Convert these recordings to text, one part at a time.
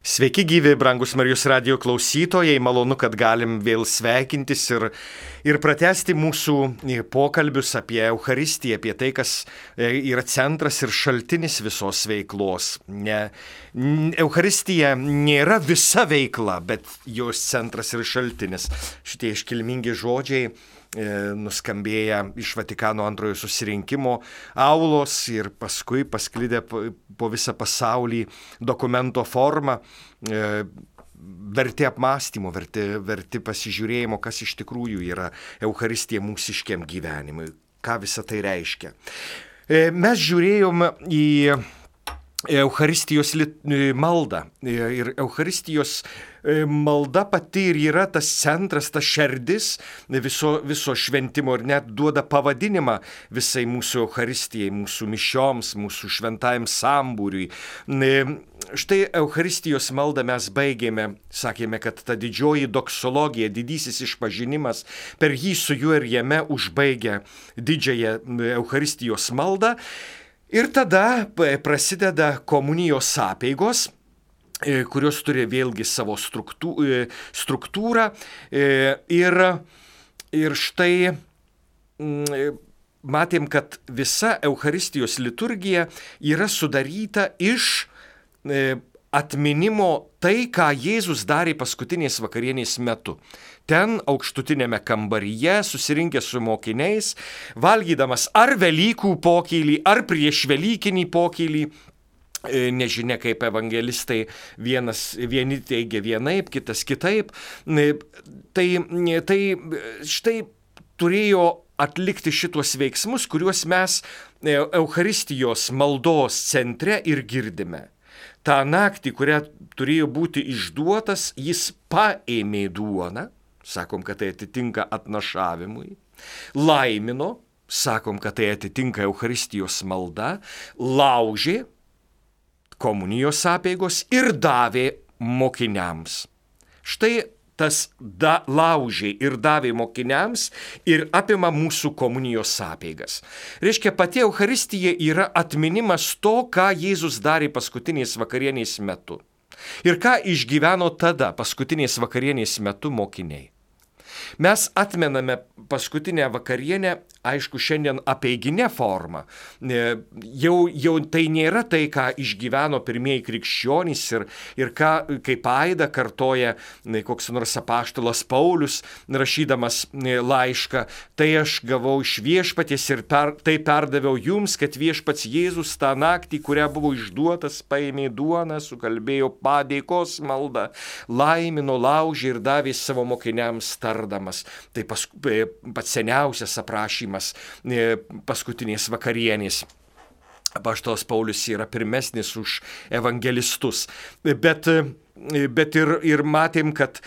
Sveiki gyvi, brangus Marijos radijo klausytojai, malonu, kad galim vėl sveikintis ir pratęsti mūsų pokalbius apie Eucharistiją, apie tai, kas yra centras ir šaltinis visos veiklos. Eucharistija nėra visa veikla, bet jos centras ir šaltinis. Šitie iškilmingi žodžiai nuskambėję iš Vatikano antrojo susirinkimo aulos ir paskui pasklidę po visą pasaulį dokumento formą, verti apmąstymo, verti pasižiūrėjimo, kas iš tikrųjų yra Eucharistija mūsiškiam gyvenimui, ką visą tai reiškia. Mes žiūrėjom į Eucharistijos maldą ir Eucharistijos malda pati ir yra tas centras, tas šerdis viso šventimo ir net duoda pavadinimą visai mūsų Eucharistijai, mūsų mišioms, mūsų šventajam sambūriui. Štai Eucharistijos maldą mes baigėme, sakėme, kad ta didžioji doksologija, didysis išpažinimas, per jį su juo ir jame užbaigia didžiąją Eucharistijos maldą. Ir tada prasideda komunijos apeigos, kurios turi vėlgi savo struktūrą. Ir štai matėm, kad visa Eucharistijos liturgija yra sudaryta iš atminimo tai, ką Jėzus darė paskutinės vakarienės metu. Ten aukštutinėme kambaryje, susirinkęs su mokiniais, valgydamas ar Velykų pokylį, ar prieš Velykinį pokylį, nežinia kaip evangelistai, vieni teigia vienaip, kitas kitaip, tai štai turėjo atlikti šitos veiksmus, kuriuos mes Eucharistijos maldos centre ir girdime. Ta naktį, kurią turėjo būti išduotas, jis paėmė duoną, sakom, kad tai atitinka atnašavimui, laimino, sakom, kad tai atitinka Eucharistijos malda, laužė komunijos apeigos ir davė mokiniams. Štai tas laužė ir davė mokiniams ir apima mūsų komunijos apeigas. Reiškia, pati Eucharistija yra atminimas to, ką Jėzus darė paskutinės vakarienės metu. Ir ką išgyveno tada paskutinės vakarienės metu mokiniai. Mes atmename paskutinę vakarienę, aišku, šiandien apeiginė forma. Jau tai nėra tai, ką išgyveno pirmieji krikščionys ir ką, kaip aidą kartoja koks nors apaštalas Paulius, rašydamas laišką. Tai aš gavau iš viešpaties ir tai perdaviau jums, kad viešpats Jėzus tą naktį, kurią buvo išduotas, paėmė duoną, sukalbėjo padėkos maldą, laimino, laužė ir davė savo mokiniams tardamas. Tai pats seniausias aprašymas paskutinės vakarienės. Apaštalas Paulius yra pirmesnis už evangelistus. Bet ir matėm, kad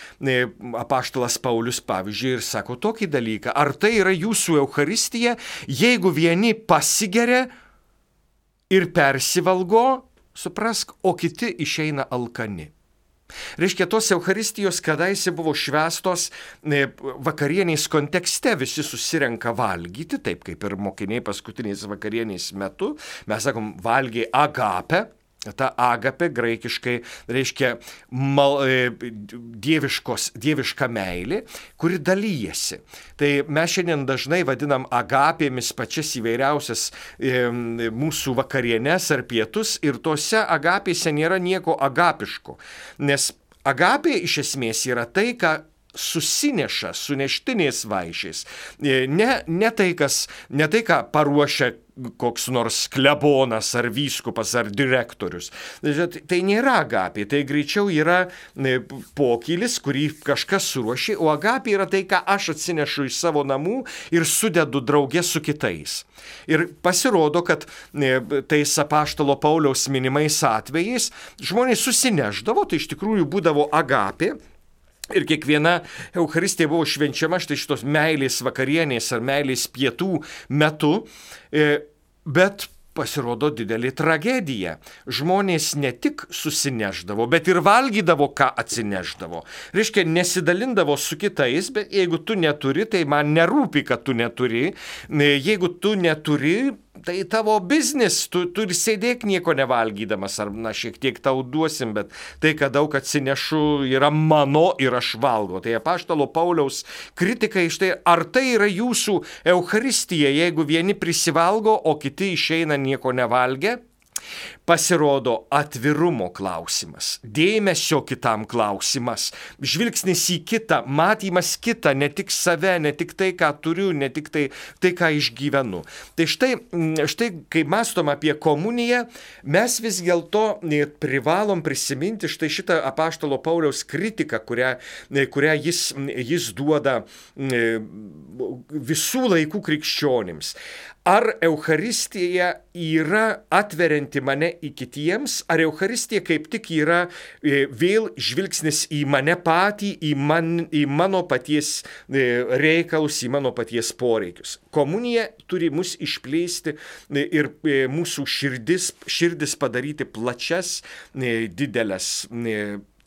apaštalas Paulius, pavyzdžiui, ir sako tokį dalyką. Ar tai yra jūsų Eucharistija, jeigu vieni pasigeria ir persivalgo, suprask, o kiti išeina alkani? Reiškia, tos Eucharistijos kadaise buvo švęstos vakarienės kontekste, visi susirenka valgyti, taip kaip ir mokiniai paskutinės vakarienės metu. Mes sakom, valgė agapę. Ta agapė graikiškai reiškia dieviška meilė, kuri dalyjasi. Tai mes šiandien dažnai vadinam agapėmis pačias įvairiausias mūsų vakarienes ar pietus ir tose agapėse nėra nieko agapiško. Nes agapė iš esmės yra tai, ką susineša su neštiniais vaišiais. Ne tai, ką paruošia koks nors klebonas ar vyskupas ar direktorius. Tai nėra agapė, tai greičiau yra pokylis, kurį kažkas suruošė, o agapė yra tai, ką aš atsinešu iš savo namų ir sudedu drauge su kitais. Ir pasirodo, kad tais apaštalo Pauliaus minimais atvejais žmonės susineždavo, tai iš tikrųjų būdavo agapė. Ir kiekviena Eucharistija buvo švenčiama štai šitos meilės vakarienės ar meilės pietų metu, bet pasirodo didelė tragedija. Žmonės ne tik susineždavo, bet ir valgydavo, ką atsineždavo. Reiškia, nesidalindavo su kitais, bet jeigu tu neturi, tai man nerūpi, kad tu neturi. Jeigu tu neturi, tai tavo biznis, tu ir sėdėk nieko nevalgydamas, ar šiek tiek tau duosim, bet tai, kad daug atsinešu, yra mano ir aš valgo. Tai apaštalo Pauliaus kritikai štai, ar tai yra jūsų Eucharistija, jeigu vieni prisivalgo, o kiti išeina nieko nevalgę? Pasirodo atvirumo klausimas, dėmesio kitam klausimas, žvilgsnis į kitą, matymas kitą, ne tik save, ne tik tai, ką turiu, ne tik tai, ką išgyvenu. Tai štai, kai mąstom apie komuniją, mes vis dėlto privalom prisiminti štai šitą apaštalo Pauliaus kritiką, kurią jis duoda visų laikų krikščionims. Ar Eucharistija yra atverianti mane į kitiems, ar Eucharistija kaip tik yra vėl žvilgsnis į mane patį, į mano paties reikalus, į mano paties poreikius. Komunija turi mus išplėsti ir mūsų širdis padaryti plačias, didelės.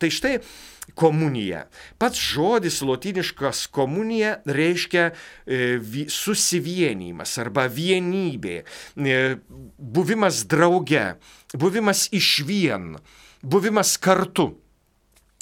Tai štai komunija. Pats žodis lotyniškas komunija reiškia susivienijimas arba vienybė, buvimas drauge, buvimas išvien, buvimas kartu.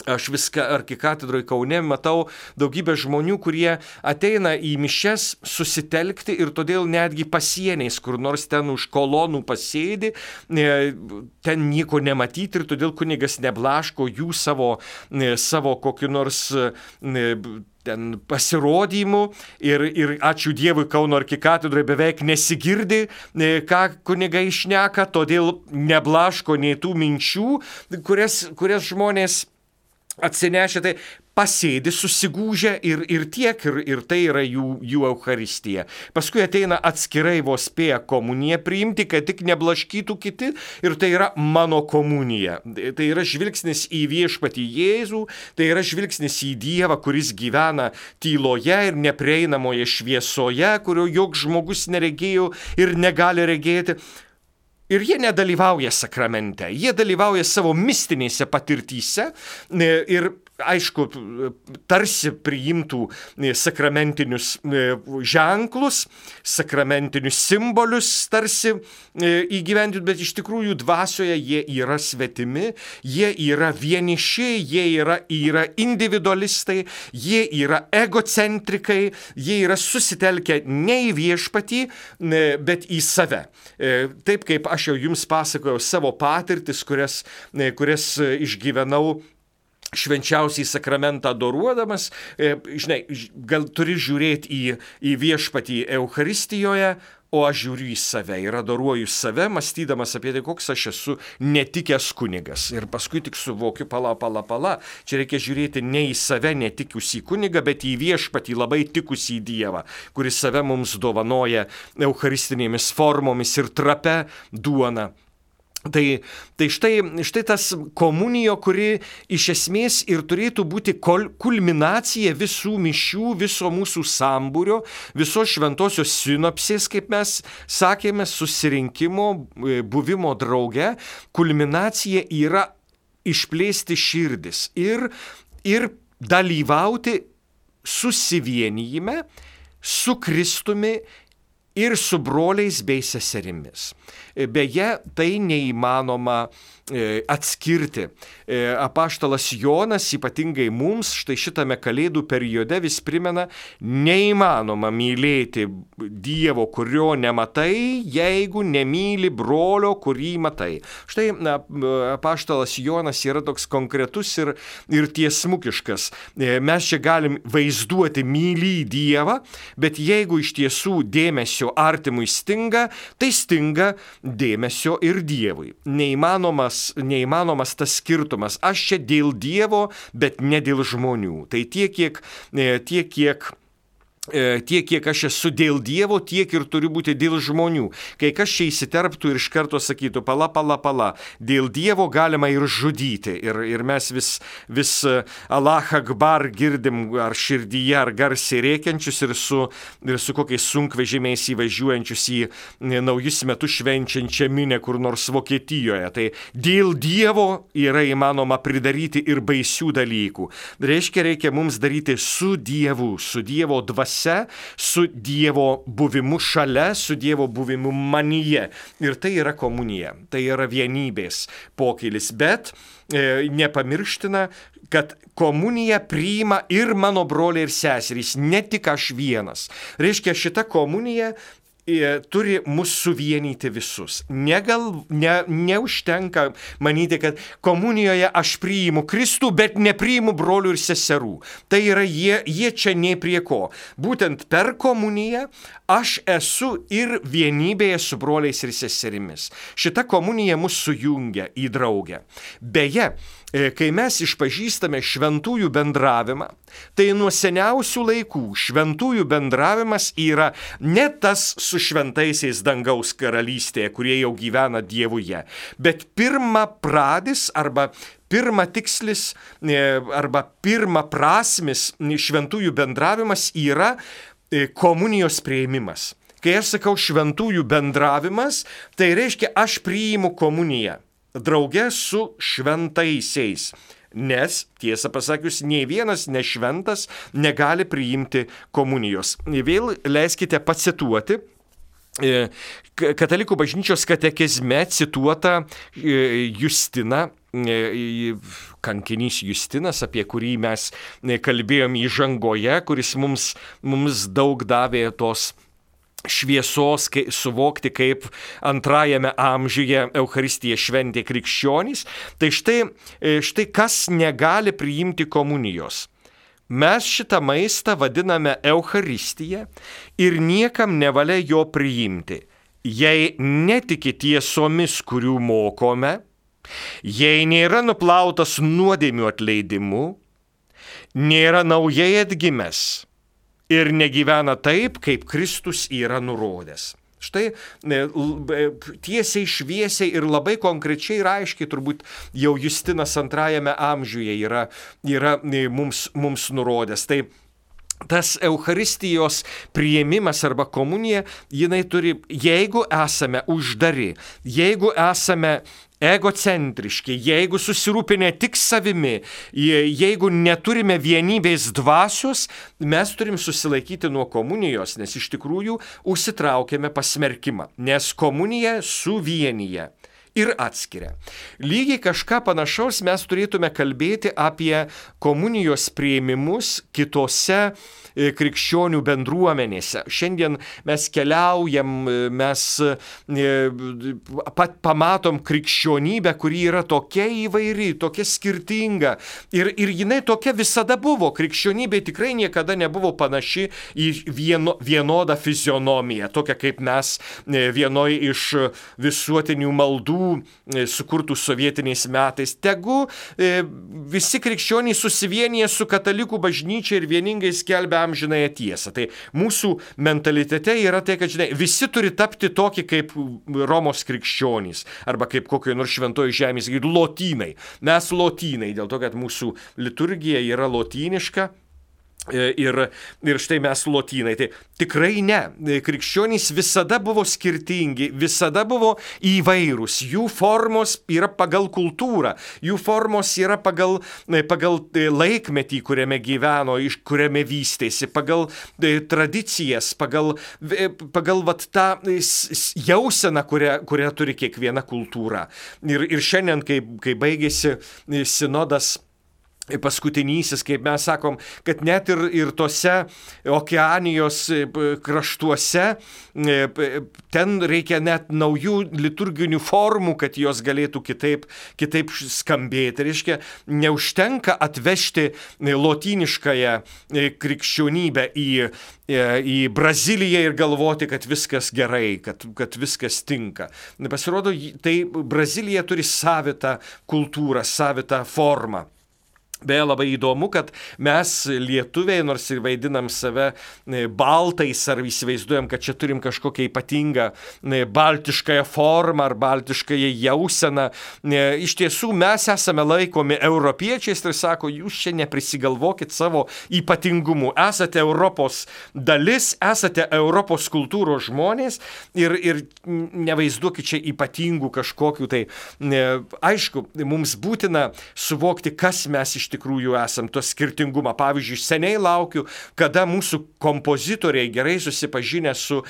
Aš viską arkikatedroje Kaune matau daugybę žmonių, kurie ateina į mišias susitelkti ir todėl netgi pasieniais, kur nors ten už kolonų pasėdi, ten nieko nematyti ir todėl kunigas neblaško jų savo kokiu nors ten pasirodymų ir ačiū Dievui Kauno arkikatedroje beveik nesigirdi, ką kunigai šneka, todėl neblaško nei tų minčių, kurias žmonės atsinešę, tai pasėdi susigūžę ir tiek, ir tai yra jų Eucharistija. Paskui ateina atskirai vos spėję komuniją priimti, kad tik neblaškytų kiti, ir tai yra mano komunija. Tai yra žvilgsnis į viešpatį Jėzų, tai yra žvilgsnis į Dievą, kuris gyvena tyloje ir neprieinamoje šviesoje, kurio joks žmogus neregėjo ir negali regėti. Ir jie nedalyvauja sakramente, jie dalyvauja savo mistinėse patirtyse ir, aišku, tarsi priimtų sakramentinius ženklus, sakramentinius simbolius tarsi įgyvendinti, bet iš tikrųjų dvasioje jie yra svetimi, jie yra vieniši, jie yra individualistai, jie yra egocentrikai, jie yra susitelkę ne į viešpatį, bet į save. Taip kaip aš jau jums pasakojau savo patirtis, kurias išgyvenau švenčiausiai sakramentą adoruodamas, žinai, gal turi žiūrėti į viešpatį Eucharistijoje, o aš žiūriu į save ir adoruoju save, mąstydamas apie tai, koks aš esu netikęs kunigas. Ir paskui tik suvokiu, pala, čia reikia žiūrėti ne į save netikusį kunigą, bet į viešpatį labai tikusį Dievą, kuris save mums dovanoja eucharistinėmis formomis ir trapia duona. Tai štai tas komunijo, kuri iš esmės ir turėtų būti kulminacija visų mišių, viso mūsų sambūrio, visos šventosios sinopsės, kaip mes sakėme, susirinkimo, buvimo drauge. Kulminacija yra išplėsti širdis ir dalyvauti susivienijime su Kristumi ir su broliais bei seserimis. Beje, tai neįmanoma atskirti. Apaštalas Jonas ypatingai mums štai šitame kalėdų periode vis primena, neįmanoma mylėti Dievo, kurio nematai, jeigu nemyli brolio, kurį matai. Štai apaštalas Jonas yra toks konkretus ir tiesmukiškas. Mes čia galim vaizduoti mylį Dievą, bet jeigu iš tiesų dėmesio artimui stinga, tai stinga dėmesio ir Dievui. Neįmanomas tas skirtumas. Aš čia dėl Dievo, bet ne dėl žmonių. Tai tiek, kiek aš esu dėl Dievo, tiek ir turiu būti dėl žmonių. Kai kas čia įsiterptų ir iš karto sakytų, pala, dėl Dievo galima ir žudyti. Ir mes vis Allah Akbar girdim ar širdyje, ar garsiai rėkiančius ir su kokiais sunkvežimiais įvažiuojančius į naujus metus švenčiančią minę kur nors Vokietijoje. Tai dėl Dievo yra įmanoma pridaryti ir baisių dalykų. Reiškia mums daryti su Dievu, su Dievo dvasia dvasia, su Dievo buvimu šalia, su Dievo buvimu manyje. Ir tai yra komunija, tai yra vienybės pokylis. Bet nepamirština, kad komuniją priima ir mano broliai ir seserys, ne tik aš vienas. Reiškia, šita komunija turi mus suvienyti visus. Neužtenka manyti, kad komunijoje aš priimu Kristų, bet nepriimu brolių ir seserų. Tai yra jie čia nei prie ko. Būtent per komuniją aš esu ir vienybėje su broliais ir seserimis. Šita komunija mus sujungia į draugę. Beje, kai mes išpažįstame šventųjų bendravimą, tai nuo seniausių laikų šventųjų bendravimas yra ne tas su šventaisiais dangaus karalystėje, kurie jau gyvena Dievuje, bet pirmapradis arba pirmatikslis arba pirmaprasmis šventųjų bendravimas yra komunijos priėmimas. Kai aš sakau šventųjų bendravimas, tai reiškia aš priimu komuniją drauge su šventaisiais. Nes, tiesą pasakius, nei vienas nešventas negali priimti komunijos. Vėl leiskite pacituoti Katalikų bažnyčios katekizme cituotą Justiną, kankinys Justinas, apie kurį mes kalbėjom įžangoje, kuris mums daug davė tos šviesos suvokti, kaip antrajame amžiuje Eucharistiją šventė krikščionys. Tai štai kas negali priimti komunijos. Mes šitą maistą vadiname Eucharistiją ir niekam nevalia jo priimti, jei netiki tiesomis, kurių mokome, jei nėra nuplautas nuodėmių atleidimu, nėra naujai atgimęs ir negyvena taip, kaip Kristus yra nurodęs. Štai tiesiai, šviesiai ir labai konkrečiai ir aiškiai turbūt jau Justinas antrajame amžiuje yra mums nurodęs. Tai tas Eucharistijos priėmimas arba komunija, jinai turi, jeigu esame uždari, jeigu esame egocentriški, jeigu susirūpinę tik savimi, jeigu neturime vienybės dvasios, mes turim susilaikyti nuo komunijos, nes iš tikrųjų užsitraukėme pasmerkimą, nes komunija suvienyje ir atskiria. Lygiai kažką panašaus mes turėtume kalbėti apie komunijos priėmimus kitose krikščionių bendruomenėse. Šiandien mes keliaujam, mes pamatom krikščionybę, kuri yra tokia įvairi, tokia skirtinga. Ir jinai tokia visada buvo. Krikščionybė tikrai niekada nebuvo panaši į vienodą fizionomiją, tokia kaip mes vienoj iš visuotinių maldų sukurtų sovietiniais metais. Tegu visi krikščioniai susivienyje su katalikų bažnyčia ir vieningai skelbia amžinąją tiesą. Tai mūsų mentalitete yra tai, kad visi turi tapti tokie kaip Romos krikščionys arba kaip kokio nors šventoji žemės, lotynai. Mes lotynai, dėl to, kad mūsų liturgija yra lotyniška. Ir štai mes lotynai. Tai tikrai ne. Krikščionys visada buvo skirtingi, visada buvo įvairūs. Jų formos yra pagal kultūrą, jų formos yra pagal laikmetį, kuriame gyveno, kuriame vystėsi, pagal tradicijas, pagal vat tą jauseną, kurią turi kiekviena kultūra. Ir šiandien, kai baigėsi sinodas, paskutinysis, kaip mes sakom, kad net ir tose Okeanijos kraštuose ten reikia net naujų liturginių formų, kad jos galėtų kitaip skambėti. Reiškia, neužtenka atvežti lotyniškąją krikščionybę į Braziliją ir galvoti, kad viskas gerai, kad viskas tinka. Pasirodo, tai Brazilija turi savitą kultūrą, savitą formą. Beje, labai įdomu, kad mes lietuviai, nors ir vaidinam save baltais ar įsivaizduojam, kad čia turim kažkokią ypatingą baltiškąją formą ar baltiškąją jauseną. Iš tiesų mes esame laikomi europiečiais ir sako, jūs čia neprisigalvokit savo ypatingumų. Esate Europos dalis, esate Europos kultūros žmonės ir nevaizduokit čia ypatingų kažkokių. Tai aišku, mums būtina suvokti, kas mes iš iš tikrųjų esam to skirtingumą. Pavyzdžiui, seniai laukiu, kada mūsų kompozitoriai gerai susipažinę su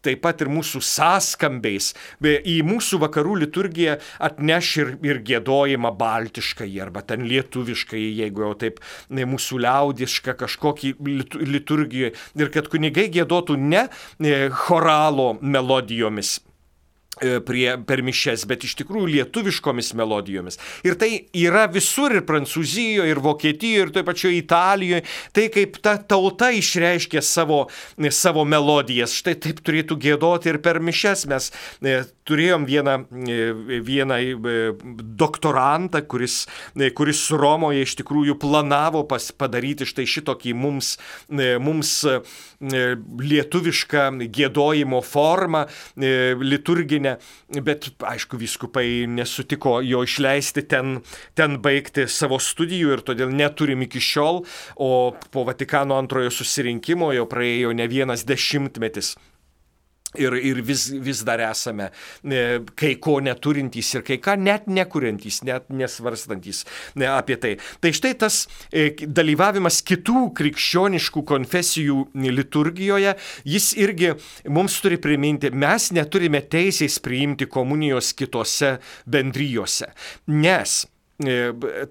taip pat ir mūsų sąskambiais į mūsų vakarų liturgiją atneš ir giedojimą baltiškai arba ten lietuviškai, jeigu jau taip mūsų liaudišką kažkokį liturgiją, ir kad kunigai giedotų ne choralo melodijomis per mišes, bet iš tikrųjų lietuviškomis melodijomis. Ir tai yra visur, ir Prancūzijoje, ir Vokietijoje, ir toje pačioje Italijoje. Tai kaip ta tauta išreiškia savo melodijas. Štai taip turėtų giedoti ir per mišes. Mes turėjom vieną doktorantą, kuris Romoje iš tikrųjų planavo padaryti štai šitokį mums lietuvišką giedojimo formą liturginę. Bet, aišku, vyskupai nesutiko jo išleisti ten baigti savo studijų ir todėl neturim iki šiol, o po Vatikano antrojo susirinkimo jau praėjo ne vienas dešimtmetis. Ir vis dar esame kai ko neturintys ir kai ką net nekuriantys, net nesvarstantys apie tai. Tai štai tas dalyvavimas kitų krikščioniškų konfesijų liturgijoje, jis irgi mums turi priminti, mes neturime teisės priimti komunijos kitose bendrijose, nes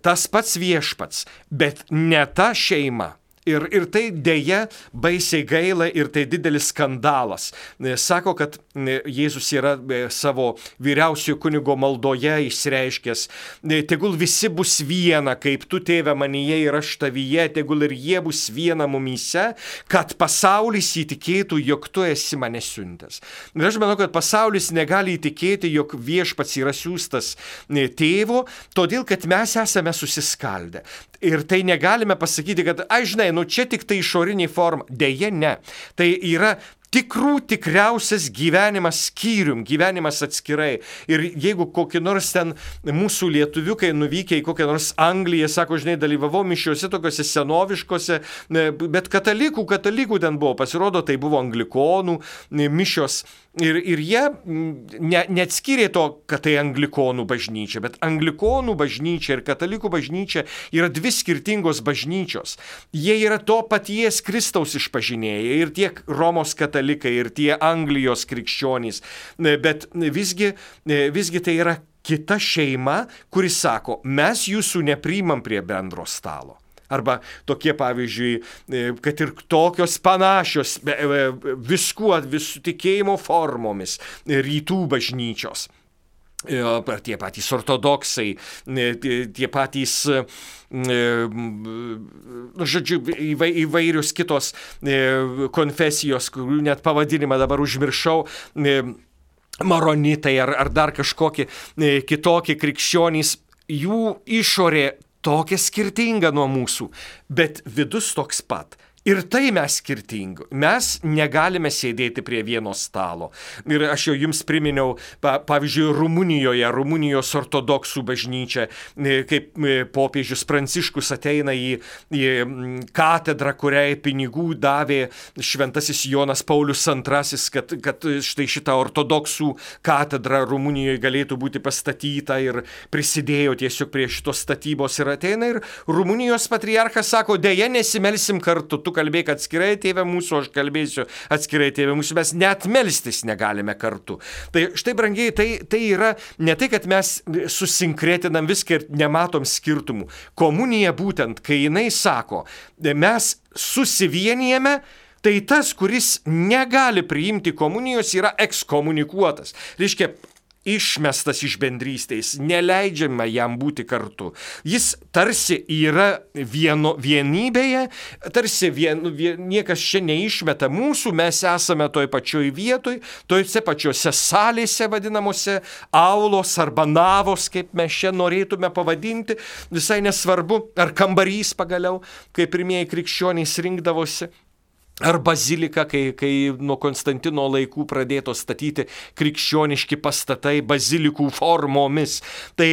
tas pats viešpats, bet ne ta šeima. Ir tai dėja baisiai gaila ir tai didelis skandalas. Sako, kad Jėzus yra savo vyriausiojo kunigo maldoje išreiškęs, tegul visi bus viena, kaip tu, tėve, manyje ir aš tavyje, tegul ir jie bus viena mumyse, kad pasaulis įtikėtų, jog tu esi mane siuntęs. Ir aš manau, kad pasaulis negali įtikėti, jog viešpats yra siųstas tėvo, todėl, kad mes esame susiskaldę. Ir tai negalime pasakyti, kad, žinai, čia tik tai išorinė forma. Deja, ne. Tai yra tikriausias gyvenimas skyrium, gyvenimas atskirai. Ir jeigu kokį nors ten mūsų lietuviukai nuvykę į kokią nors Angliją, sako, žinai, dalyvavau mišiuose tokiuose senoviškose, bet katalikų ten buvo, pasirodo, tai buvo anglikonų mišios. Ir jie neatskyrė to, kad tai anglikonų bažnyčia, bet anglikonų bažnyčia ir katalikų bažnyčia yra dvi skirtingos bažnyčios. Jie yra to paties Kristaus išpažinėjai, ir tiek Romos katalikai, ir tie Anglijos krikščionys, bet visgi tai yra kita šeima, kuri sako, mes jūsų nepriimam prie bendro stalo. Arba tokie, pavyzdžiui, kad ir tokios panašios visų tikėjimo formomis rytų bažnyčios. Ar tie patys ortodoksai, tie patys, žodžiu, įvairios kitos konfesijos, kurių net pavadinimą dabar užmiršau, maronitai ar dar kažkokie kitokie krikščionys, jų išorė tokia skirtinga nuo mūsų, bet vidus toks pat. Ir tai mes skirtingi. Mes negalime sėdėti prie vieno stalo. Ir aš jau jums priminiau, pavyzdžiui, Rumunijos ortodoksų bažnyčia, kaip popiežius Pranciškus ateina į katedrą, kuriai pinigų davė šventasis Jonas Paulius II, kad štai šitą ortodoksų katedrą Rumunijoje galėtų būti pastatyta, ir prisidėjo tiesiog prie šitos statybos, ir ateina ir Rumunijos patriarchas sako, deja, nesimelsim kartu, tu kalbėk atskirai, tėve mūsų, aš kalbėsiu atskirai, tėve mūsų, mes net melstis negalime kartu. Tai štai, brangiai, tai yra ne tai, kad mes susinkretinam viską ir nematom skirtumų. Komunija būtent, kai jinai sako, mes susivienijame, tai tas, kuris negali priimti komunijos, yra ekskomunikuotas. Reiškia, išmestas iš bendrystės, neleidžiama jam būti kartu. Jis tarsi yra vienybėje, tarsi niekas čia neišmeta mūsų, mes esame toj pačioj vietoj, tojose pačiose salėse vadinamose, aulos arba navos, kaip mes čia norėtume pavadinti, visai nesvarbu, ar kambarys pagaliau, kaip pirmieji krikščionys rinkdavosi. Ar bazilika, kai nuo Konstantino laikų pradėto statyti krikščioniški pastatai bazilikų formomis. Tai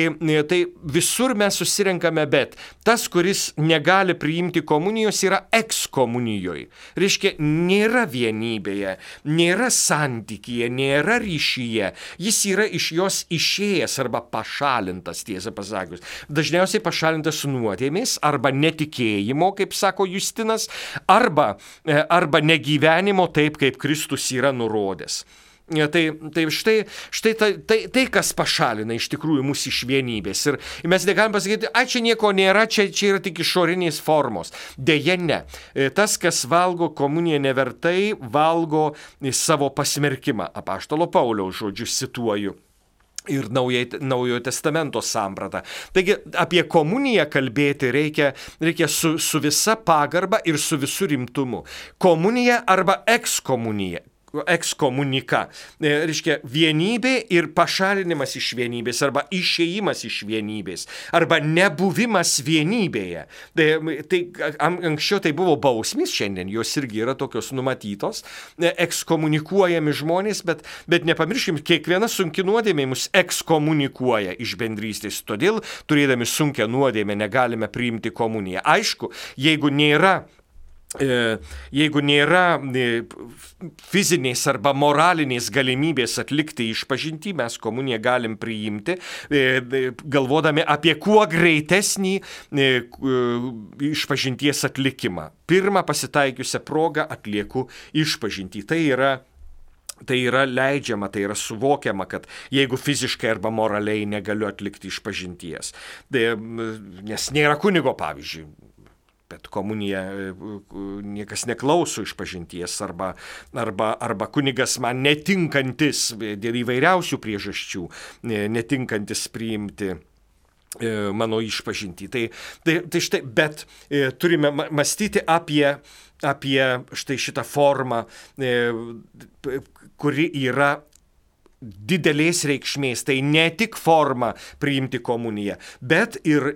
visur mes susirenkame, bet tas, kuris negali priimti komunijos, yra ekskomunijoje. Reiškia, nėra vienybėje, nėra santykyje, nėra ryšyje. Jis yra iš jos išėjęs arba pašalintas, tiesą pasakius. Dažniausiai pašalintas nuodėmės arba netikėjimo, kaip sako Justinas, arba negyvenimo taip, kaip Kristus yra nurodęs. Tai štai tai, kas pašalina iš tikrųjų mūsų iš vienybės. Ir mes negalim pasakyti, čia nieko nėra, čia yra tik išorinės formos. Deja ne. Tas, kas valgo komuniją nevertai, valgo savo pasmerkimą. Apaštalo Pauliaus žodžius cituoju. Ir Naujojo testamento sampratą. Taigi apie komuniją kalbėti reikia su visa pagarba ir su visu rimtumu. Komunija arba ekskomunika. Reiškia, vienybė ir pašalinimas iš vienybės arba išėjimas iš vienybės arba nebuvimas vienybėje. Tai anksčiau tai buvo bausmės, šiandien jos irgi yra tokios numatytos, ekskomunikuojami žmonės, bet nepamirškim, kiekviena sunki nuodėmė mus ekskomunikuoja iš bendrystės. Todėl, turėdami sunkią nuodėmę, negalime priimti komuniją. Aišku, jeigu nėra fizinės arba moralinės galimybės atlikti išpažintį, mes komuniją galim priimti, galvodami apie kuo greitesnį išpažinties atlikimą. Pirmą pasitaikiusią progą atlieku išpažintį. Tai yra leidžiama, tai yra suvokiama, kad jeigu fiziškai arba moraliai negaliu atlikti išpažinties. Nes nėra kunigo, pavyzdžiui. Bet komunija niekas neklauso išpažinties arba kunigas man netinkantis dėl įvairiausių priežasčių, netinkantis priimti mano išpažintį. Tai štai, bet turime mąstyti apie štai šitą formą, kuri yra didelės reikšmės. Tai ne tik forma priimti komuniją, bet ir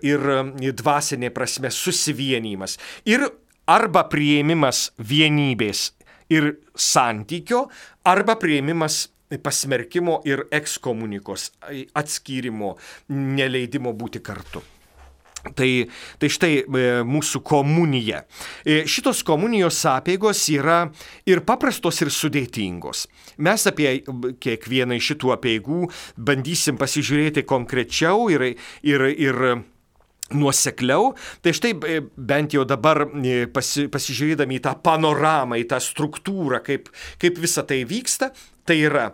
dvasinė prasme susivienijimas. Ir arba priėmimas vienybės ir santykio, arba priėmimas pasmerkimo ir ekskomunikos, atskyrimo, neleidimo būti kartu. Tai štai mūsų komunija. Šitos komunijos apeigos yra ir paprastos, ir sudėtingos. Mes apie kiekvieną iš šitų apeigų bandysim pasižiūrėti konkrečiau ir nuosekliau. Tai štai bent jau dabar pasižiūrėdami į tą panoramą, į tą struktūrą, kaip visa tai vyksta, tai yra,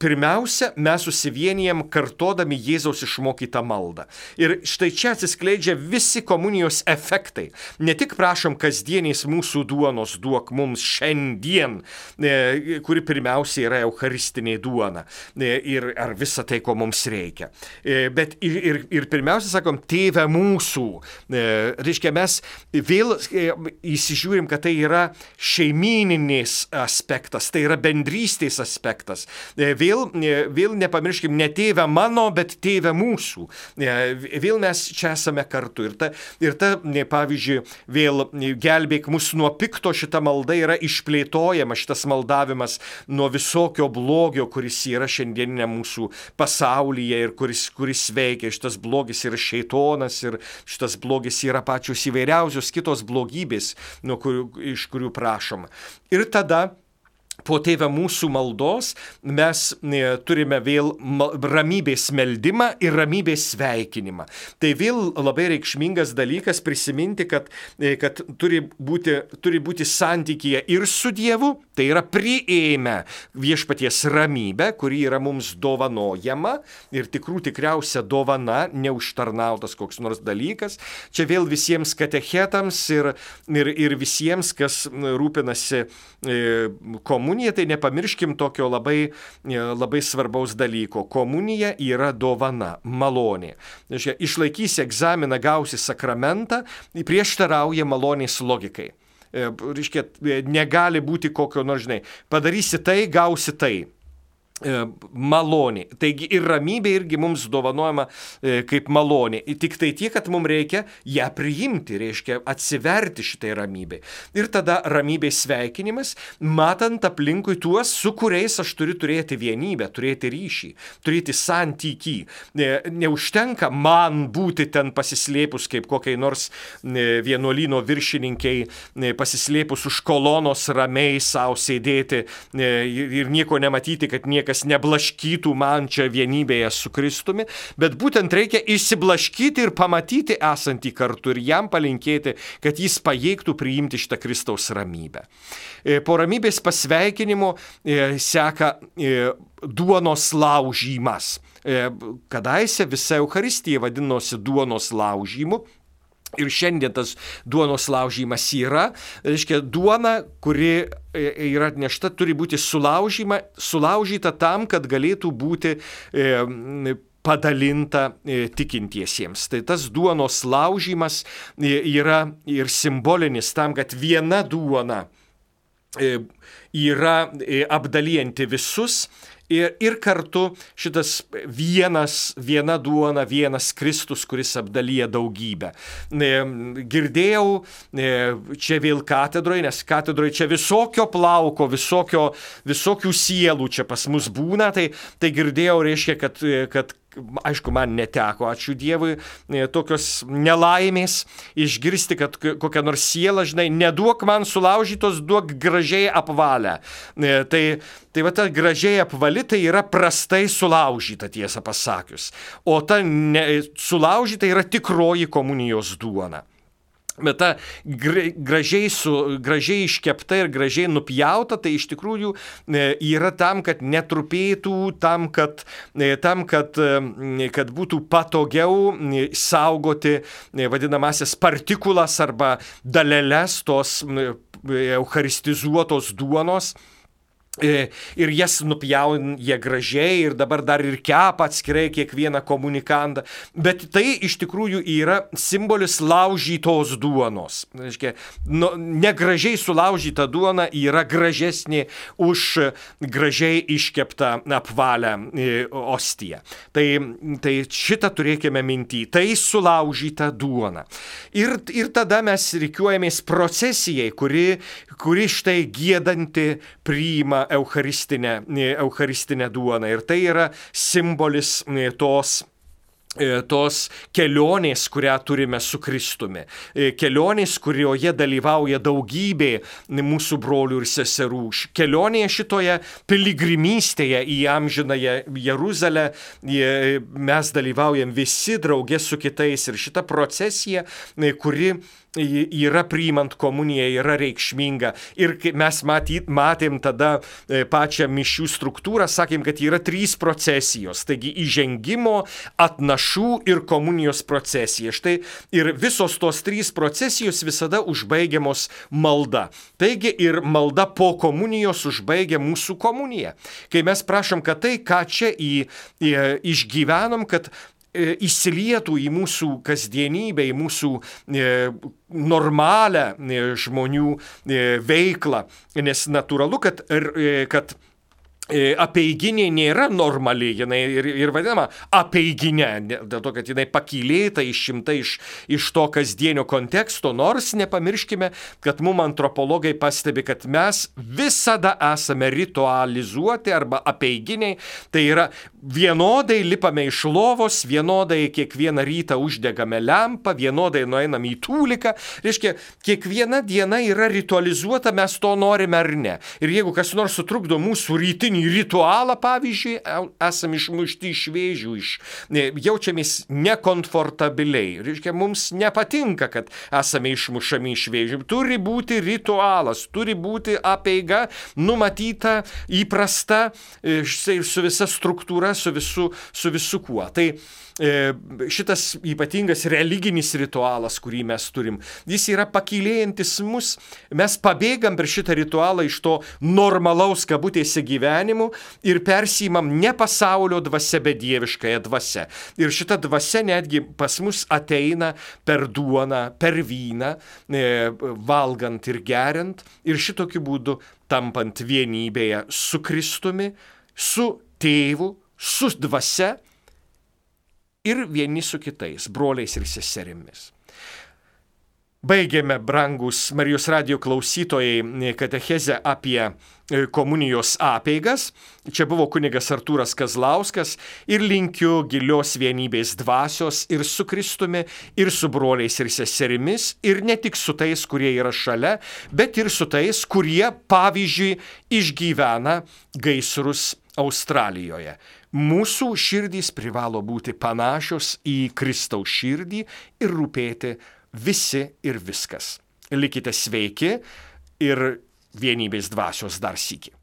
pirmiausia, mes susivienijam kartodami Jėzaus išmokytą maldą. Ir štai čia atsiskleidžia visi komunijos efektai. Ne tik prašom kasdienės mūsų duonos duok mums šiandien, kuri pirmiausia yra eucharistinė duona, ar visa tai, ko mums reikia. Bet ir pirmiausia, sakom, tėve mūsų. Reiškia, mes vėl įsižiūrim, kad tai yra šeimyninės aspektas, tai yra bendrystės aspektas. Vėl nepamirškim, ne tėve mano, bet tėve mūsų. Vėl mes čia esame kartu. Ir ta, pavyzdžiui, vėl gelbėk mus nuo pikto, šita malda yra išplėtojama, šitas maldavimas nuo visokio blogio, kuris yra šiandieninė mūsų pasaulyje ir kuris veikia. Šitas blogis yra šeitonas ir šitas blogis yra pačios įvairiausios kitos blogybės, iš kurių prašoma. Ir tada po tėve mūsų maldos mes turime vėl ramybės meldimą ir ramybės sveikinimą. Tai vėl labai reikšmingas dalykas prisiminti, kad turi būti santykyje ir su Dievu, tai yra priėmę viešpaties ramybę, kuri yra mums dovanojama ir tikriausia dovana, neužtarnautas koks nors dalykas. Čia vėl visiems katechetams ir visiems, kas rūpinasi komunija, tai nepamirškim tokio labai svarbaus dalyko. Komunija yra dovana, malonė. Išlaikysi egzaminą, gausi sakramentą, prieštarauja malonės logikai. Reiškia, negali būti kokio nors, padarysi tai, gausi tai. malonė. Taigi ir ramybė irgi mums dovanojama kaip malonė. Tik tai tiek, kad mums reikia ją priimti, reiškia atsiverti šitai ramybei. Ir tada ramybės sveikinimas, matant aplinkui tuos, su kuriais aš turiu turėti vienybę, turėti ryšį, turėti santykį. Neužtenka man būti ten pasislėpus kaip kokiai nors vienuolyno viršininkiai, pasislėpus už kolonos ramiai savo sėdėti ir nieko nematyti, kad niekas neblaškytų man čia vienybėje su Kristumi, bet būtent reikia išsiblaškyti ir pamatyti esantį kartu ir jam palinkėti, kad jis pajėgtų priimti šitą Kristaus ramybę. Po ramybės pasveikinimo seka duonos laužymas. Kadaise visa Eucharistija vadinosi duonos laužymu. Ir šiandien tas duonos laužymas yra, reiškia, duona, kuri yra atnešta, turi būti sulaužyta tam, kad galėtų būti padalinta tikintiesiems. Tai tas duonos laužymas yra ir simbolinis tam, kad viena duona yra apdalijanti visus. Ir kartu šitas viena duona, vienas Kristus, kuris apdalyja daugybę. Girdėjau čia vėl katedroje, nes katedroje čia visokio plauko, visokių sielų čia pas mus būna, tai girdėjau, reiškia, kad aišku, man neteko, ačiū Dievui, tokios nelaimės išgirsti, kad kokia nors siela, žinai, neduok man sulaužytos, duok gražiai apvalę. Tai va ta gražiai apvali, tai yra prastai sulaužyta, tiesą pasakius. O ta sulaužyta yra tikroji komunijos duona. Bet ta gražiai iškepta ir gražiai nupjauta, tai iš tikrųjų yra tam, kad netrupėtų, tam, kad būtų patogiau saugoti vadinamasias partikulas arba daleles tos eucharistizuotos duonos. Ir jas nupjauja gražiai ir dabar dar ir kepa atskirai kiekvieną komunikandą. Bet tai iš tikrųjų yra simbolis laužytos duonos. Reiškia, negražiai sulaužyta duona yra gražesnė už gražiai iškeptą apvalę ostiją. Tai šitą turėkime minty. Tai sulaužyta duona. Ir tada mes rikiuojamės procesijai, kuri štai giedanti priima eucharistinę duoną. Ir tai yra simbolis tos kelionės, kurią turime su Kristumi. Kelionės, kurioje dalyvauja daugybė mūsų brolių ir seserų. Kelionėje šitoje piligrimystėje į amžinąją Jeruzalę mes dalyvaujam visi drauge su kitais. Ir šita procesija, kuri yra priimant komuniją, yra reikšminga. Ir mes matėm tada pačią mišių struktūrą, sakėm, kad yra 3 procesijos. Taigi įžengimo, atnašų ir komunijos procesija. Štai ir visos tos 3 procesijos visada užbaigiamos malda. Taigi ir malda po komunijos užbaigia mūsų komuniją. Kai mes prašom, kad tai, ką čia išgyvenom, kad įsilietų į mūsų kasdienybę, į mūsų normalią žmonių veiklą, nes natūralu, kad apeiginė nėra normali, jinai ir vadinama apeiginė, dėl to, kad jinai pakylėta, išimta iš to kasdienio konteksto, nors nepamirškime, kad mums antropologai pastebi, kad mes visada esame ritualizuoti arba apeiginiai, tai yra vienodai lipame iš lovos, vienodai kiekvieną rytą uždegame lempą, vienodai nueinam į tūliką, reiškia, kiekviena diena yra ritualizuota, mes to norime ar ne. Ir jeigu kas nors sutrukdo mūsų rytinį ritualą, pavyzdžiui, esame išmušti iš vėžių, jaučiamės nekomfortabiliai. Reiškia, mums nepatinka, kad esame išmušami iš vėžių. Turi būti ritualas, turi būti apeiga numatyta, įprasta, su visa struktūra, su visu kuo. Tai šitas ypatingas religinis ritualas, kurį mes turim, jis yra pakylėjantis mus. Mes pabėgam per šitą ritualą iš to normalaus kabutėse gyvenimu ir persiimam ne pasaulio dvasia, bet dieviškąją dvasią. Ir šita dvasia netgi pas mus ateina per duoną, per vyną, valgant ir geriant, ir šitokiu būdu tampant vienybėje su Kristumi, su tėvu, su dvasia ir vieni su kitais, broliais ir seserimis. Baigėme, brangus Marijos radijo klausytojai, katechezę apie komunijos apeigas. Čia buvo kunigas Artūras Kazlauskas ir linkiu gilios vienybės dvasios ir su Kristumi, ir su broliais ir seserimis, ir ne tik su tais, kurie yra šalia, bet ir su tais, kurie, pavyzdžiui, išgyvena gaisrus Australijoje. Mūsų širdys privalo būti panašios į Kristaus širdį ir rūpėti visi ir viskas. Likite sveiki ir vienybės dvasios dar sykį.